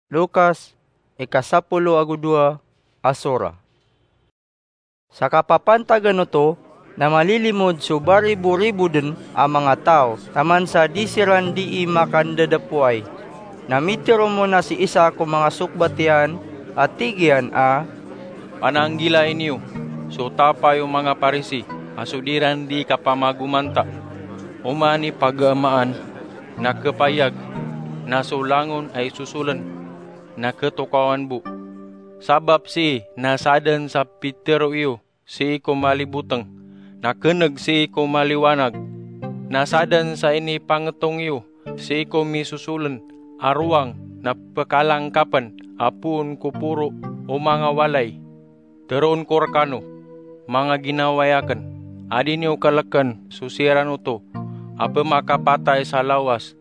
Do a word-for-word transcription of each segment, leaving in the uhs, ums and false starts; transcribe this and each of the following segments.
Lukas, ika sapolo ago dowa a sora. Sa kapapantagan oto na malilimod so baribo-ribo den a manga taw taman sa di siran dii makandadapoay. Na mitero mon a si isa ko manga sokbat iyan a tig iyan a, "Pananggilai niyo so tapay o manga Parisi a so diran dii kapamagomanta. Oman i pagamaan na kepayag na so langon a isosolen na ketokawan bo. Sabap sii na saden sa pitero iyo sii ko maliboteng, na keneg sii ko maliwanag. Na saden sa inipangetong iyo sii ko misosolen a rowang na pekalangkapen a poon ko poro o manga walay. Teroon ko rekano, manga ginawai aken, a di niyo keleken so siran oto a pemakapatay sa lawas,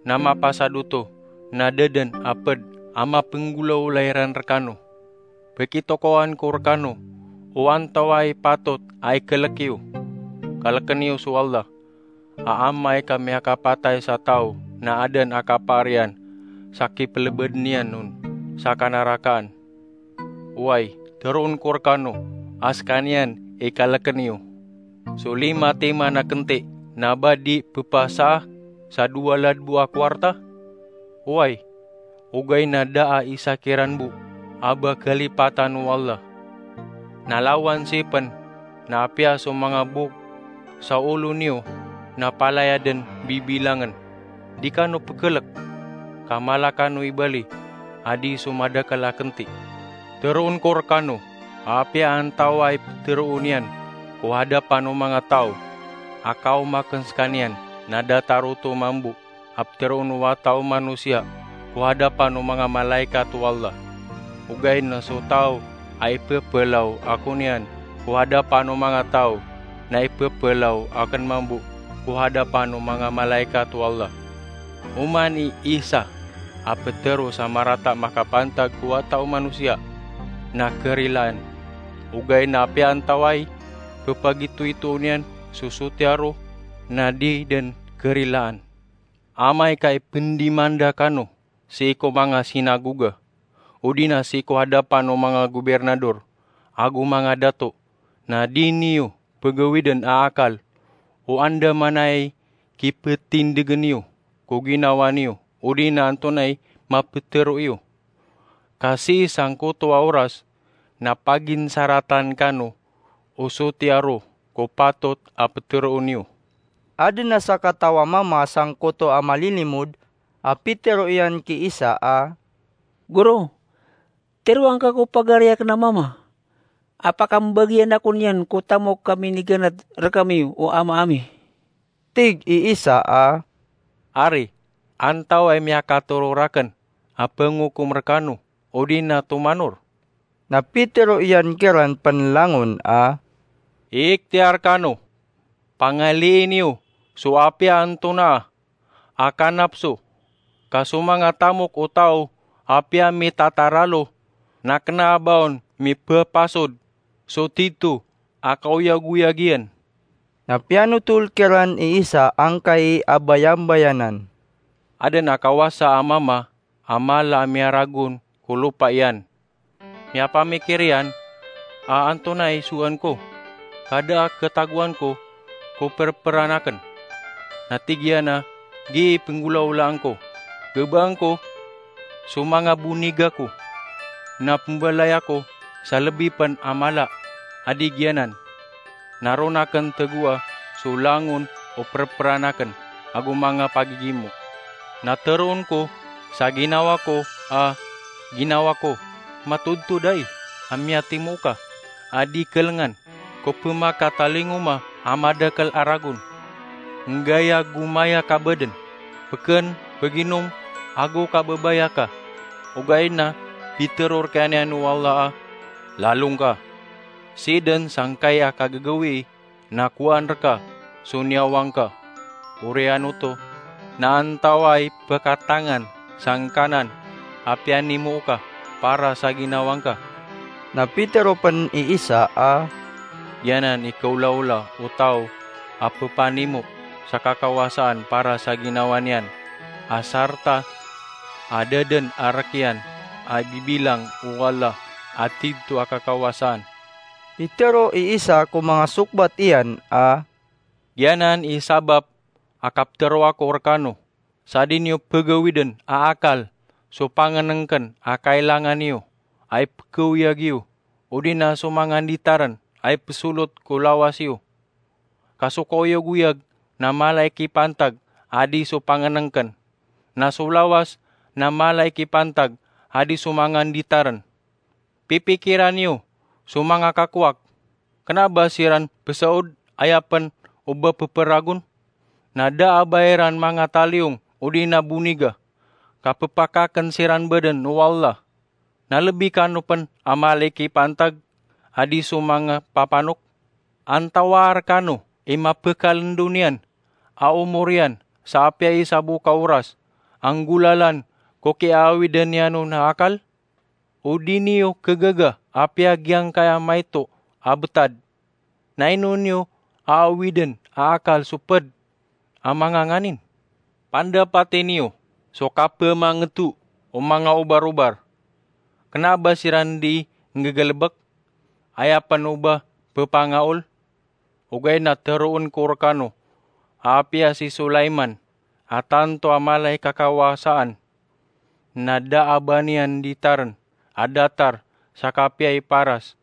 na mapasad oto na da den a ped a mapenggolawla iran rekano. Pekitokawan ko rekano o antawaa i patot a ikelek iyo. Kaleken iyo so Allah, a amay ka miyakapatay sa taw na aden a kapaar iyan sa kipelebeden iyan on sa kanarakaan. Oway, teroon ko rekano a sekaniyan i kaleken iyo. So lima timan a kenti na ba di pepasaa sa dowa ladbo a kowarta? Oway, ogaid na da a isa kiran bo a ba kalipatan o Allah. Na lawan sii pen na apiya so manga bok sa olo niyo na palaya den bibilangen. Di kano pekelek, ka mala kano ibali a di so madakel a kenti. Teroon ko rekano, a apiya antawaa i peteroon iyan ko hadapan o manga taw a kaoma aken sekaniyan, na datar oto mambo a peteroon o Wata o Manosiya ko hadapan o manga malaikat o Allah. Ogaid na so taw a ipepelaw ako niyan ko hadapan o manga taw, na ipepelaw aken mambo ko hadapan o manga malaikat o Allah. Oman i Isa a petero sa marata makapantag ko Wata o Manosiya na kerilaan. Ogaid na apiya antawaa i pepagitoitoon iyan so sotiya ro, na di den kerilaan. Amay ka ipendimanda kano sii ko manga sinagoga, odi na sii ko hadapan o manga gobirnador ago manga dato, na di niyo pegawiden a akal o andamanaya i kipetindegen iyo ko ginawa niyo, odi na antonaa i mapetero iyo. Ka sii sangkoto a oras na paginsaratan kano o sotiya ro ko patot a peteroon iyo." Aden a sakataw a mama sangkoto a malilimod a pitero iyan ki Isa a, "Goro, teroa ngka ko pagari aken a mama a pakambagian ako niyan ko tamok a miniganad rekami o ama ami." Tig i Isa a, "Ari, antawaa i miyakatoro raken a pengokom rekano odi na tomanor?" Na pitero iyan kiran pen langon a, "Iiktiyar kano. Pangalii niyo so apiya antonaa a kanapso, ka so manga tamok o taw a apiya mitataralo na kena a ba on mipepasod so tito a kaoyagoyag iyan." Na piyanotol kiran i Isa angkai a bayambayanan. Aden a kawasa a mama a mala a miyaragon ko lopa iyan. Miyapamikir iyan a antonaa i sowaan ko, ka da a ketagoan ko ko perperan aken. Na tig iyan a gii i penggolawlaan ko. Gebaan ko so manga boniga ko, na pembalaya ko sa lebi pen a mala a di giyanan. Na ron aken tegoa so langon o perperan aken ago manga pagigimo. Na teroon ko sa ginawa ko a ginawa ko, matodtod ai a miyatimo ka a di kelengan ko pemakatalingoma a madakel a ragon. Nggaya gomaya ka baden, peken, peginom, ago kababaya ka. Ogaid na pitero rekan iyan o Allah a, lalong ka. Sii den sangkai a kagagawii na kowaan reka so niyawa ngka. Oriyan oto, na antawaa i pekatangan sangkanan a piyanimo ka para sa ginawa ngka? Na pitero pen i Isa a, giyanan i kaolaola o taw a pepanimo sa kakawasaan para sa ginawa niyan, a sarta a da dn a rk iyan a ibibilang o Allah a tig to a kakawasaan. Pitharo i isa ko manga sokbat iyan a, giyanan i sabap a kaptharo ako rkano, sa di niyo pgawidn a akal so pangnngkn a kailangan iyo a ipkhaoyag iyo, odi na so manga nditarn a ipsolot ko lawas iyo. Ka so kaoyagoyag na mala i kipantag a di so pangnngkn, na so lawas na mala i kipantag a di so manga nditarn. Pipikiran iyo so manga kakowak. Kna ba siran pzaod aya pn o ba pphragon? Na da a ba iran manga taliyong odi na boniga, ka pphakakn siran badn o Allah. Na lbi kano pn a mala i kipantag a di so manga papanok? Antawaa rkano i mapkalndo niyan a omor iyan sa apiya isa bo ka oras a nggolalan ko kiyaawidn iyan on a akal? O di niyo khagaga a apiya giyangkaya maito a btad, na ino niyo aawidn a akal so pd a manga nganin? Pandapati niyo so kapmangto o manga obarobar. Kna ba siran di ngggalbk, aya pn o ba ppangaol? Ogaid na tharoon ko rkano a apiya si Sulaiman a tanto a mala i kakawasaan, na da a ba niyan nditarn a datar sa kapiya i paras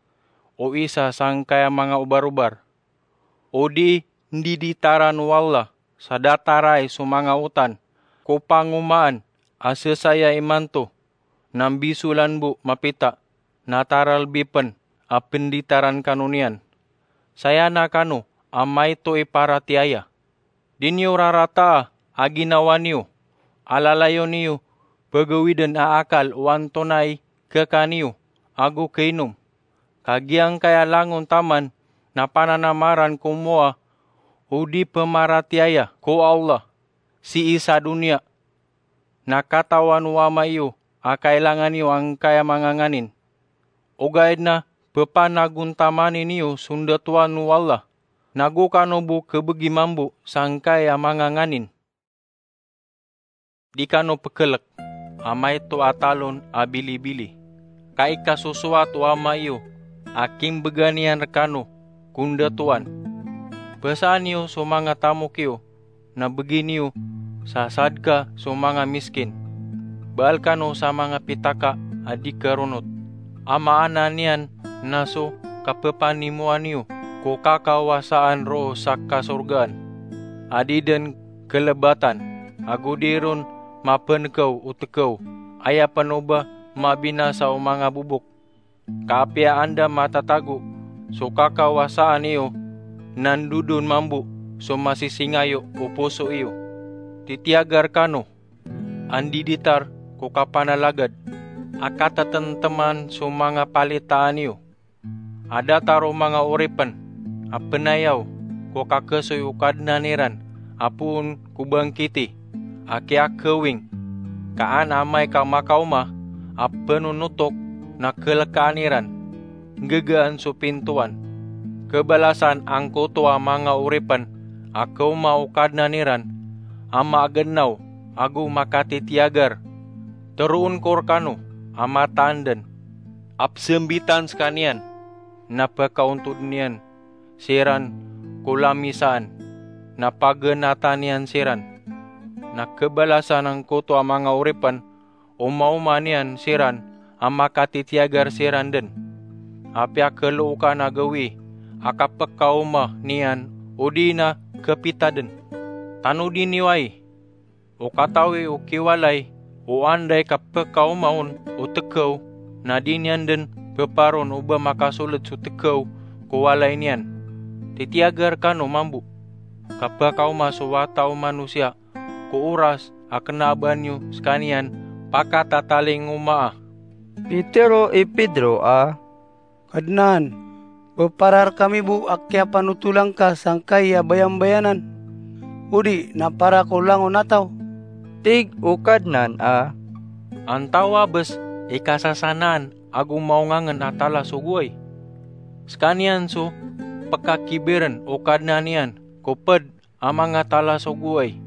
o isa sangkaya manga obarobar. O di ndiditaran o Allah sa datarai so manga otan ko pangomaan a sesaya imanto, na mbisolan bo mapita, na taralbi pn a pnditaran kano niyan. Saya na kano a maito i paratiyaya. Di niyo rarataa a ginawa niyo a lalayon iyo pgawidn a akal o antonaa i khakan iyo ago khainom. Ka giyangkaya langon taman na pananamaran ko mowa o di pmaratiyaya ko Allah sii sa doniya. Na katawan o ama iyo a kailangan iyo angkaya manga nganin. Ogaid na pphanagontamani niyo so ndatowan o Allah, nago kano bo khabgi mambo sangkaya manga nganin. Di kano pkhlk a maito a talon a bilibili, ka ikasosoat o ama iyo a kimbgan iyan rkano ko ndatowan. Pzaan iyo so manga tamok iyo, na bgi niyo sa sadka so manga miskin. Baal kano sa manga pitaka a di karonot, a maana niyan na so kappanimoan iyo ko kakawasaan roo sa kasorgaan a di dn khlbatan, ago di ron mapnkaw o tkaw, aya pn o ba mabinasa o manga bobok. Ka apiya anda matatago so kakawasaan iyo, na ndodon mambo so masisingayo o poso iyo. Titiyagar kano a ndiditar ko kapanalagad a katatntman so manga palitaan iyo. A datar o manga oripn a pnayaw ko kakhasoy o Kadnan iran a poon ko bangkiti a kiyakhawing, ka an amay ka makaoma a pnonotok na khlkaan iran, nggagaan so pintowan. Khabalasan angkoto a manga oripn a kaoma o Kadnan iran a maagnaw ago makatitiyagar. Tharoon ko rkano a mataan dn a pzambitan skaniyan, na pkaontod iyan siran ko lamisaan, na pagnatan iyan siran. Na khabalasan angkoto a manga oripn o maoma niyan siran a makatitiyagar siran dn. Apiya khlookan a gawii a kapkaoma niyan odi na khapita dn. Tanodi niyo ai, o katawi o kiwalay o anda i kapkaoma on o tkaw, na di niyan dn pparon o ba makasold so tkaw ko walay niyan. Titiyagar kano mambo ka pkaoma so wata o manosiya ko oras a kna a ba niyo skaniyan pakatatalingoma a. Pitharo i Pedro a, Kadnan, pphara rkami bo a kiyapanotolan ka sangkai a bayambayanan, odi na para ko langon a taw? Tig o Kadnan a, Antawaa bs i kasasanaan ago maongangn a tala so goway? Skaniyan so pkakibirn o Kadnan iyan ko pd a manga tala so goway,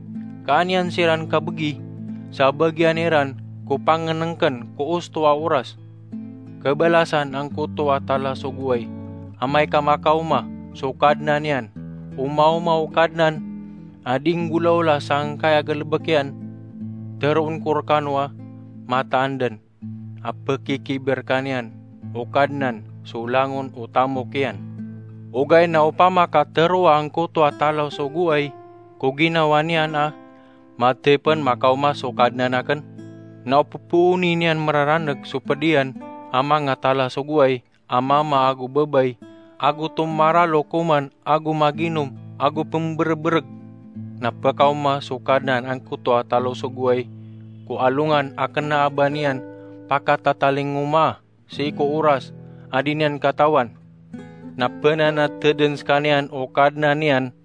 ka an iyan siran kabgi sa bagian iran ko pangnngkn ko osto a oras. Kabalasan angkoto a tala so goway, amay ka makaoma so kadnan iyan, omaoma o kadnan a di nggolawla sangkai a galbk iyan, tharoon ko rkano a mataan dn a pkikibirka niyan o kadnan so langon o tamok iyan. Ogaid na opama ka tharoa angkoto a tala so goway ko ginawa niyan a, "Mathay pn makaoma so kadnan akn," na o ppooni niyan mararaneg so pd iyan a manga tala so goway a mama ago babay, ago tomaralo koman ago maginom ago pmbrbrg, na pkaoma so kadnan angkoto a tala so goway ko alongan a kna a ba niyan pakatatalingomaa sii ko oras a di niyan katawan. Na pnanatdn skaniyan o kadnan iyan,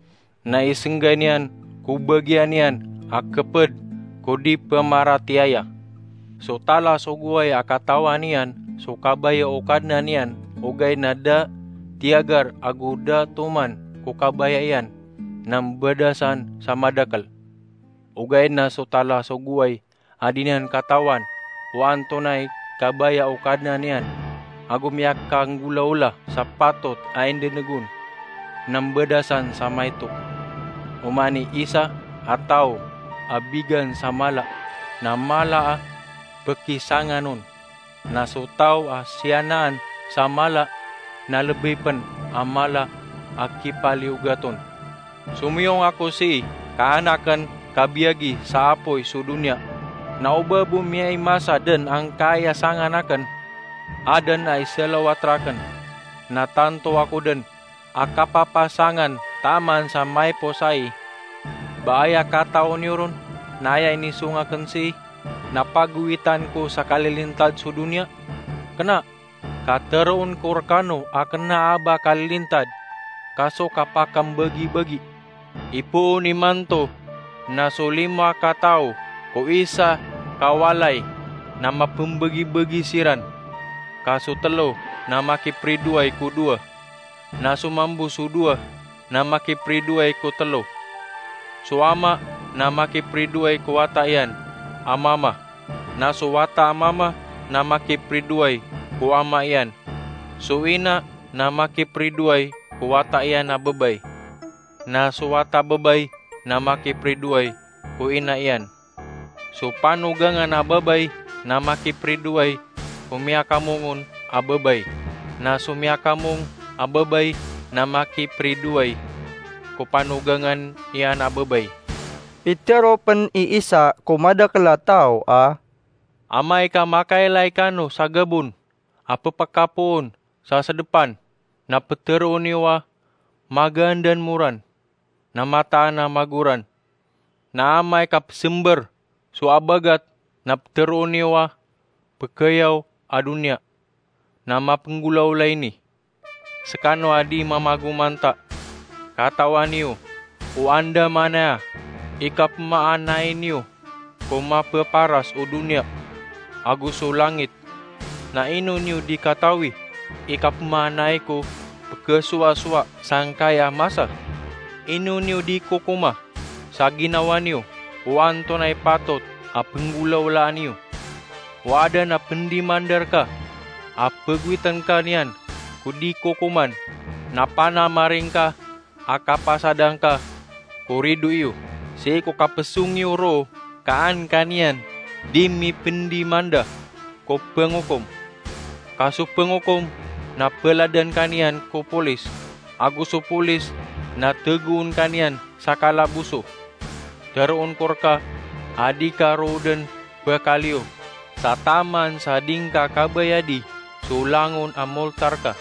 na isnggay niyan ko bagian iyan a khpd ko di pmaratiyaya. So tala so goway a katawan iyan so kabaya o kadnan iyan, ogaid na da tiyagar ago da toman ko kabaya iyan, na mbadasan sa madakl. Ogaid na so tala so goway a di niyan katawan o antonaa i kabaya o kadnan iyan, ago miyakanggolawla sa patot a indneg on, na mbadasan sa maito. Oman i isa a taw a bigan sa mala, na mala a pkisangan on. Na so taw a siyanaan sa mala na lbi pn a mala a kipaliyogat on. Somiyong ako sii ka an akn kabiyagi sa apoy so doniya. Na o ba bo miyaimasa dn angkai a sangan akn, adn a isalawat rakn, na tanto ako dn a kapapasangan taman sa maiposai. Ba aya katao niyo ron na aya inisong akn sii na pagowitan ko sa kalilintad so doniya? Kna, ka tharoon ko rkano a kna a ba kalilintad ka so kapakambagibagi. Ipoon imanto na so lima ka taw ko isa ka walay na mapmbagibagi siran, ka so tlo na makipridoay ko dowa, na so mambo so dowa na makipridoay ko tlo. So ama na makipridoay ko wata iyan a mama, na so wata a mama na makipridoay ko ama iyan. So ina na makipridoay ko wata iyan a babay, na so wata babay na makipridoay ko ina iyan. So panogangan a babay na makipridoay ko miyakamongon a babay, na so miyakamong a babay na makipridoay ko panogangan iyan a babay. Pitharo pn i isa ko madakl a taw a, "Amay ka makailay kano sa gabon a pphakapoon sa sdpan, na ptharoon iyo a magaan dn moran, na mataan a magoran. Na amay ka psmbr so abagat, na ptharoon iyo a pkhayaw a doniya, na mapnggolawla ini." Skano a di mamagomanta, katawan iyo o andamanaya i kapmaanay niyo ko mapaparas o doniya ago so langit. Na ino niyo di katawi i kapmaanay ko pkhasowasowa sangkaya masa? Ino niyo di kokoma sa ginawa niyo o antonaa i patot a pnggolawlaan iyo? O aden a pndimandar ka a pagowitn ka niyan ko di kokoman, na panamaring ka a kapasadan ka ko rido iyo sii ko kapsong iyo roo ka an ka niyan di mipndimanda ko pngokom. Ka so pngokom na pladan ka niyan ko polis, ago so polis na tagoon ka niyan sa kalaboso. Tharoon ko rka a di ka roo dn pkaliyo sa taman sa di ngka kabayadi so langon a molta rka.